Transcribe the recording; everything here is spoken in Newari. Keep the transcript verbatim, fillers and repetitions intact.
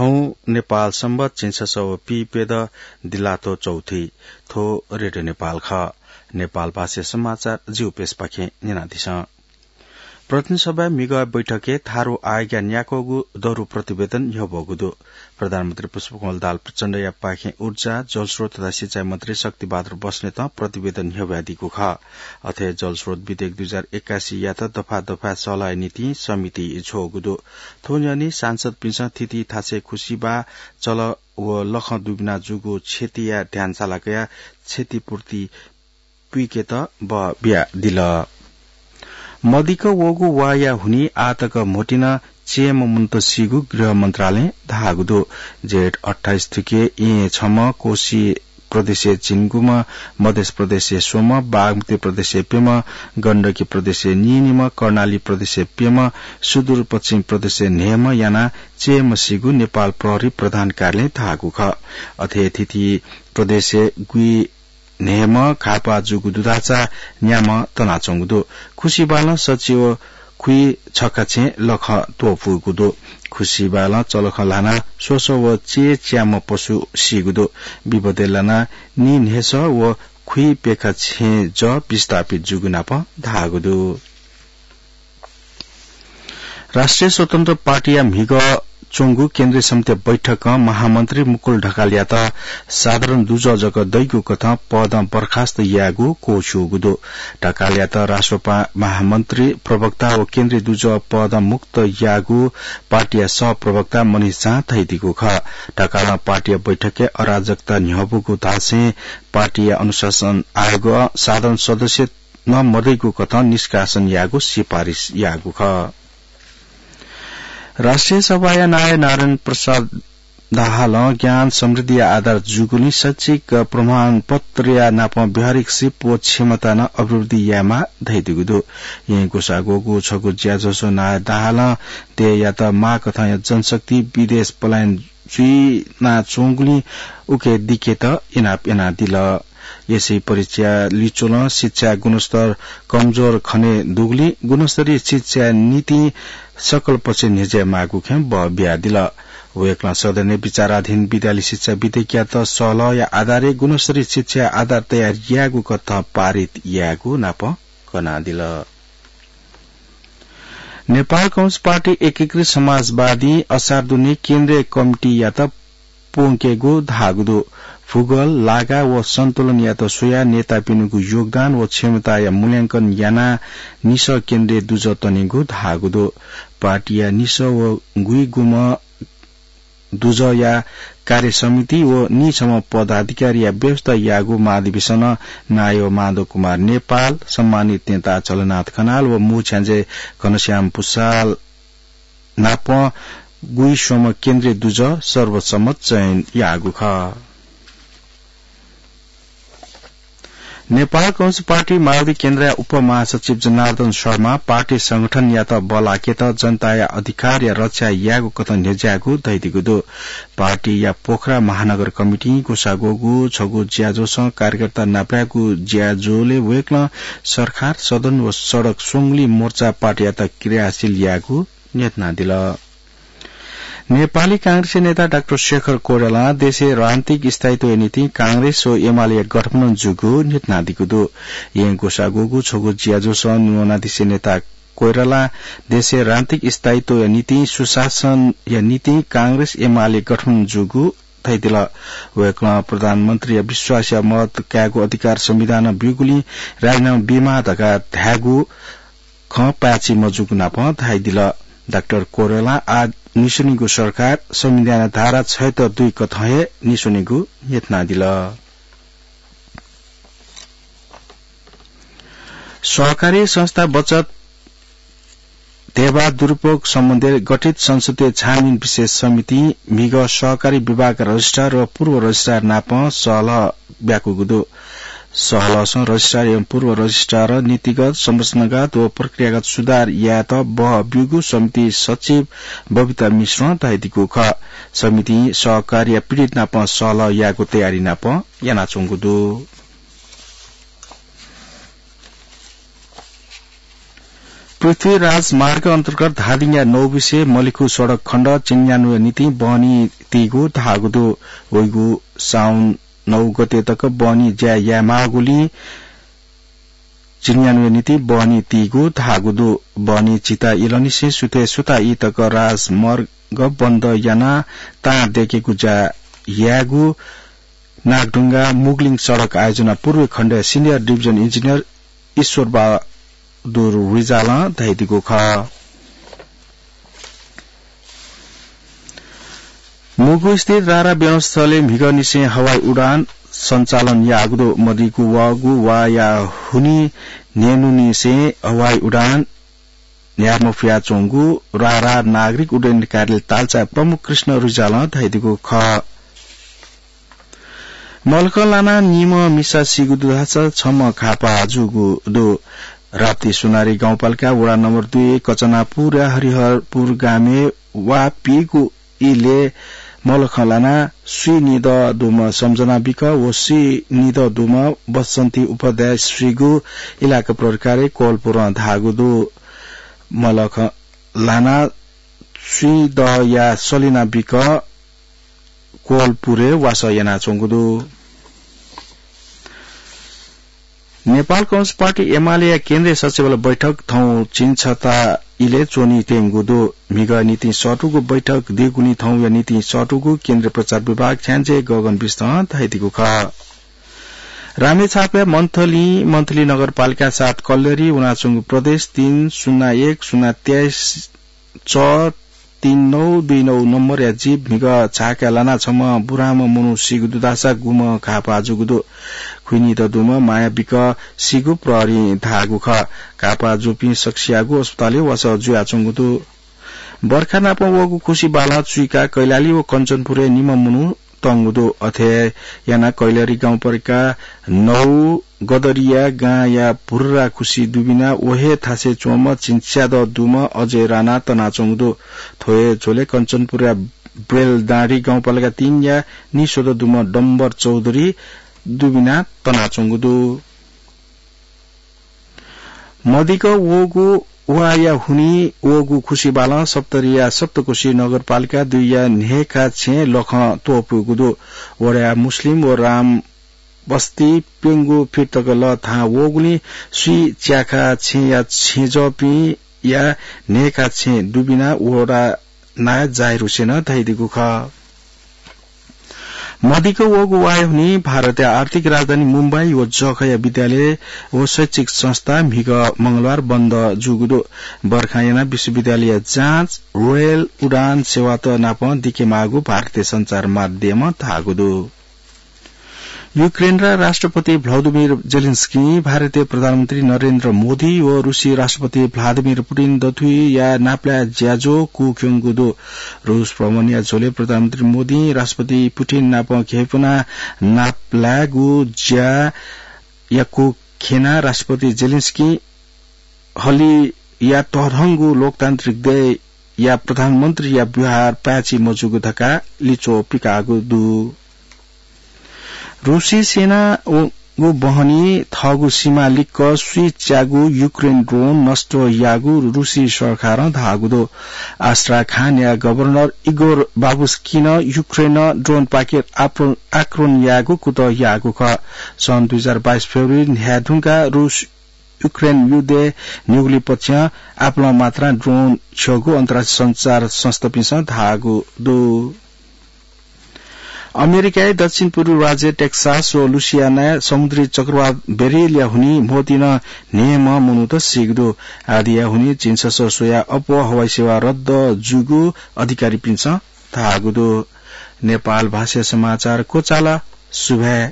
नेपाल संवत झिंछसः व पीप्यदँ दिल्लाथ्व चौथी। थ्व रेडियो नेपाल खः। नेपाल भाषा समाचार जिगु पेजपाखें न्यनादिसँ। प्रतिनिधि सभाया म्हिगः बैठकय् थारु आयोगया न्याक्वःगु दरु प्रतिवेदन न्ह्यब्वःगु दु। प्रधानमन्त्री पुष्पकमल दाहाल प्रचण्डया पाखें ऊर्जा, जलस्रोत तथा सिँचाइ मन्त्री शक्तिबहादुर बस्नेतं प्रतिवेदन न्ह्यब्वयादीगु खः। अथे जलस्रोत विधेयक दुई हजार एकासीयात दफा दफाय् सल्लाहया निंतिं समिति छ्वःगु दु। थ्व न्ह्यःने सांसदपिन्सं थीथी थासय् खुसिबाः, चलः व लखं दुबिना जूगु क्षतिया ध्यान साला कयाः क्षतिपूर्ति पुइकेत बः बियादिल। मदिक्क वःगु वाःया हुनिं आःतक म्होतिं नं च्यय्म्ह मनूत सीगु गृह मन्त्रालयं धाःगु दु। जेठ अट्ठाइस थुके येँ छम्ह, कोशी प्रदेशय् झिंगुम्ह, मध्य प्रदेशय् स्वम्ह, बागमती प्रदेशय् प्यम्ह, गण्डकी प्रदेशय् नीनिम्ह, कर्णाली प्रदेशय् प्यम्ह, सुदूरपश्चिम प्रदेशय् न्हय्म्ह यानाः च्यय्म्ह सीगु नेपाल प्रहरी प्रधान कार्यालयं धाःगु खः। अथे थीथी प्रदेशय् गुइन्हय्म्ह घाःपाः जूगु दुधाचा न्याम्ह तनाच्वंगु दु। खुसिबालं सच्छि व खुइ छखा छेँ लखं त्वपुगु दु। खुसिबालं चलखं ल्हानाः स्वसः व च्यय् च्याम्ह पशु सीगु दु। विपदय् लानाः नीन्हय्सः व खुइ प्यखा छेँ जः विस्थापित जूगु नापं धाःगु दु। राष्ट्रिय स्वतन्त्र पार्टीया म्हिगः च्वंगु केन्द्रीय समितिया बैठकं महामन्त्री मुकुल ढकालयात साधारण दुजः जक दइगु कथं पदं बर्खास्त यायेगु क्वछूगु दु। ढकालयात राष्ट्रपा महामन्त्री, प्रवक्ता व केन्द्रीय दुजः पदं मुक्त याःगु पार्टीया सहप्रवक्ता मनिष झां धयादीगु खः। ढकालं पार्टीया बैठकय् अराजकता न्ह्यब्वःगु धासें पार्टीया अनुशासन आयोगं साधारण सदस्य नं मदइगु कथं निष्कासन यायेगु सिफारिस याःगु खः। राष्ट्रिय सभाया नायः नारायण प्रसाद दाहालं ज्ञान समृद्धिया आधार जूगुलिं शैक्षिक प्रमाणपत्रया नापं व्यावहारिक सिप व क्षमता नं अभिवृद्धि यायेमाः धयादीगु दु। येँ ग्वसाः ग्वःगु छगू ज्याझ्वलय् नायः दाहालं देय्‌यात माःकथंया जनशक्ति विदेश पलायन जुइनाच्वंगुलिं उके दिकेत इनाप यानादिल। एसएससी परीक्षा लिच्वलं शिक्षाया गुणस्तर कमजोर खने दुगुलिं गुणस्तरीय शिक्षाया निंतिं सकल पक्षं न्ह्यज्याये माःगु खँ बः बियादिल। वय्‌कलं सदनय् विचाराधीन विद्यालय शिक्षा विधेयकयात सहलहया आधारय् गुणस्तरीय शिक्षाया आधार तयार यायेगु कथं पारित यायेगु नापं कनादिल। नेपाल कम्युनिस्ट पार्टी एकीकृत समाजवादीं असार दुने केन्द्रीय कमिटीयात प्वंकेगु धाःगु दु। भूगोल, लागा व सन्तुलनयात स्वयाः नेतापिनिगु योगदान व क्षमताया मूल्यांकन यानाः निसः केन्द्रीय दुजः तनेगु धाःगु दु। पार्टीया निसः व गुइगुम्ह दुजःया कार्य समिति व नीछम्ह पदाधिकारीया व्यवस्था याःगु महाधिवेशनं नायः माधव कुमार नेपाल, सम्मानित नेता झलनाथ खनाल व मुछ्याञ्जे घनश्याम पुसाल नाप गुइस्वम्ह केन्द्रीय दुजः सर्वसम्मत चयन याःगु खः। नेपाल कम्युनिस्ट पार्टी माओवादी केन्द्रया उपमहासचिव जनार्दन शर्मां पार्टी संगठनयात बल्लाकेत जनताया अधिकारया रक्षा यायेगु कथं न्ह्यज्याःगु धयादीगु दु। पार्टीया पोखरा महानगर कमिटीं ग्वसाः ग्वःगु छगू ज्याझ्वलं कार्यकर्ता नापलायेगु ज्याझ्वलय् वय्‌कलं सरकार, सदन व सडक स्वंगुलिं मोर्चा पार्टीयात क्रियाशील यायेगु न्ह्यथनादिल। नेपाली कांग्रेसया नेता डाक्टर शेखर कोइरालां देशय् राजनीतिक स्थायित्वया निंतिं कांग्रेस व एमालेया गठबन्धन जूगु न्ह्यथनादीगु दु। येँ ग्वसाः ग्वःगु छगू ज्याझ्वलं न्वनादिसे नेता कोइरालां देशय् राजनीतिक स्थायित्वया निंतिं, सुशासनया निंतिं कांग्रेस एमाले गठबन्धन जूगु धयादिल। वय्‌कलं प्रधानमन्त्रीया विश्वासया मत कायेगु अधिकार संविधानं ब्यूगुलिं राजीनामा बीमाः धकाः धायेगु खँ पाय्‌छि मजूगु नापं धयादिल। डाक्टर कोइरालां आः निस्वनीगु सरकार संविधानया धारा छयत्तर दुई कथं हे निस्वनीगु न्ह्यथनादिल। सहकारी संस्था बचत धेबा दुरुपयोग सम्बन्धी गठित संसदीय छानबिन विशेष समितिं म्हिगः सहकारी विभागया रजिस्ट्रार व पूर्व रजिस्ट्रार नाप सहलह ब्याकूगु दु। सहलहसं रजिस्ट्रार एवं पूर्व रजिस्ट्रार नीतिगत, संरचनागत व प्रक्रियागत सुधार यायेत बहः ब्यूगु समिति सचिव बबिता मिश्रं धयादीगु खः। समितिं सहकारीया पीडित नाप सहलह यायेगु तयारी नाप यानाच्वंगु दु। पृथ्वी राजमार्ग अन्तर्गत धादिङया नौबिसे मलिखु सडक खण्ड चिन्यान्वय् निंतिं बहनी तीगु धाःगु दु। वइगु साउन नौ गते तक बहनी ज्या यायेमाःगुलिं चिन्यान्वय् निंतिं बहनी तीगु धाःगु दु। बहनी चिता इलंनिसें सुथय् सुता ई तक राजमार्ग बन्द यानाः तां दयेकेगु ज्या यायेगु नागढुङ्गा मुगलिङ सडक आयोजना पूर्वी खण्डया senior division engineer ईश्वर बहादुर रिजालं धयादीगु खः। मुगु स्थित रारा विमानस्थलय् म्हिगःनिसें हवाई उडान सञ्चालन याःगु दु। मदिगु वःगु वाया हुनि न्हय्न्हुनिसें हवाई उडान न्ह्याये मफयाच्वंगु रारा नागरिक उड्डयन कार्यालय ताल्चाया प्रमुख कृष्ण रिजालं धयादीगु खः। मलखं लानाः निम्ह मिसा सीगु दुधासा छम्ह घाःपाः जूगु दु। राप्ती सोनारी गाउँपालिका वडा नम्बर दुई कचनापुरया हरिहरपुर गामय् वा पीगु इलय् मलखं लानाः स्वीनिदँ दुम्ह सम्झना बिक व स्वीनिदँ दुम्ह बसन्ती उपाध्याय सीगु इलाका प्रहरी कार्यालय कोहलपुरं धाःगु दु। मलखं लानाः स्वीनिदँया सलिना बिक कोहलपुरय् वासः यानाच्वंगु दु। नेपाल कम्युनिस्ट पार्टी एमालेया केन्द्रीय सचिवालय बैठक थौं झिंछता इलय् च्वनीत्यंगु दु। म्हिगः निंतिं सःतूगु बैठक दुगुलिं थौंया निंतिं सःतूगु केन्द्रीय प्रचार विभाग छ्याञ्जे गगन बिष्टं धयादीगु खः। रामेछापया मन्थली, मन्थली नगरपालिका सात कल्लेरी वनाच्वंगु प्रदेश तीन शून्य एक शून्य तेइस च तीन नौ दुई नौ नम्बरया जीप म्हिगः झाकाय् लानाः छम्ह बुराम्ह मनू सीगु दुधासा गुम्ह घाःपाः जूगु दु। खुइनिदँ दुम्ह माया बिक सीगु प्रहरीं धाःगु खः। घाःपाः जूपिं सकसियागु अस्पतालय् वासः जुयाच्वंगु दु। बर्खा नाप वःगु खुसि बालं चुइकाः कैलाली व कञ्चनपुरय् निम्ह मनू तंगु दु। अथे यानाः कैलाली गाउँपालिका नौ गदरिया गांया भुर्रा खुसि दुबिनाः व हे थासय् च्वंम्ह झिंच्यादँ दुम्ह अजय राणा तनाच्वंगु दु। थ्व हे झ्वलय् कञ्चनपुरया ब्रेलडाँडी गाउँपालिका तीनया निस्वदँ दुम्ह डम्बर चौधरी दुबिनाः तनाच्वंगु दु। मदिक वःगु वाया हुनि वःगु खुसि बालं सप्तरीया सप्तकोशी नगरपालिका दुईया न्हय्खा छेँ लखं त्वपुगु दु। वडाया मुस्लिम व राम बस्ती प्यंगू फिट तक लः थाहां वःगुलिं स्वीच्याखा छेँया छेँजःपिंया न्हय्खा छेँ दुबिनाः वडा नायः जाहिर हुसेनं धयादीगु खः। मदिक वःगु वाया हुनि भारतया आर्थिक राजधानी मुम्बई व जखया विद्यालय व शैक्षिक संस्था म्हिगः मंगलबार बन्द जूगु दु। बर्खां यानाः विश्वविद्यालयया जाँच, रेल, उडान सेवात नापं दिकेमाःगु भारतीय सञ्चार माध्यमं धाःगु दु। युक्रेनया राष्ट्रपति भ्लादिमिर जेलेन्स्की, भारतीय प्रधानमन्त्री नरेन्द्र मोदी व रुसी राष्ट्रपति भ्लादिमिर पुटिन दथुइया नापलाये ज्याझ्वः कूक्यंगु दु। रुस भ्रमणया झ्वलय् प्रधानमन्त्री मोदीं राष्ट्रपति पुटिन नाप घेपुना नापलायेगु ज्या याकू खेनाः राष्ट्रपति जेलेन्स्की हलिया तःधंगु लोकतान्त्रिक देय्‌या प्रधानमन्त्रीया व्यवहार पाय्‌छि मजूगु धकाः लिच्वः पिकाःगु दु। रुसी सेना व, व बहनी थःगु सीमा लिक्क स्वीच्यागु युक्रेन ड्रोन नष्ट याःगु रुसी सरकारं धाःगु दु। आस्ट्राखानया गभर्नर इगोर बाबुस्किनं युक्रेनं ड्रोनपाखें आप्र-, आक्रमण यायेगु कुतः याःगु खः। सन् दुई हजार बाइस फेब्रुअरी न्ह्याये धुंकाः रुस युक्रेन युद्धय् न्ह्यागुलिं पक्षं आपालं मात्रां ड्रोन छ्यःगु अन्तर्राष्ट्रिय सञ्चार संस्थापिन्सं धाःगु दु। अमेरिकाया दक्षिण पूर्वी राज्य टेक्सास व लुसियानाय् समुद्री चक्रवात बेरिलया हुनिं म्होतिनं न्हय्म्ह मनूत सीगु दु। आदिया हुनिं झिंछसः स्वयाः अप्वः हवाई सेवा रद्द जूगु अधिकारीपिन्सं धाःगु दु। नेपाल भाषाया समाचार क्वचाल। सुभाय्।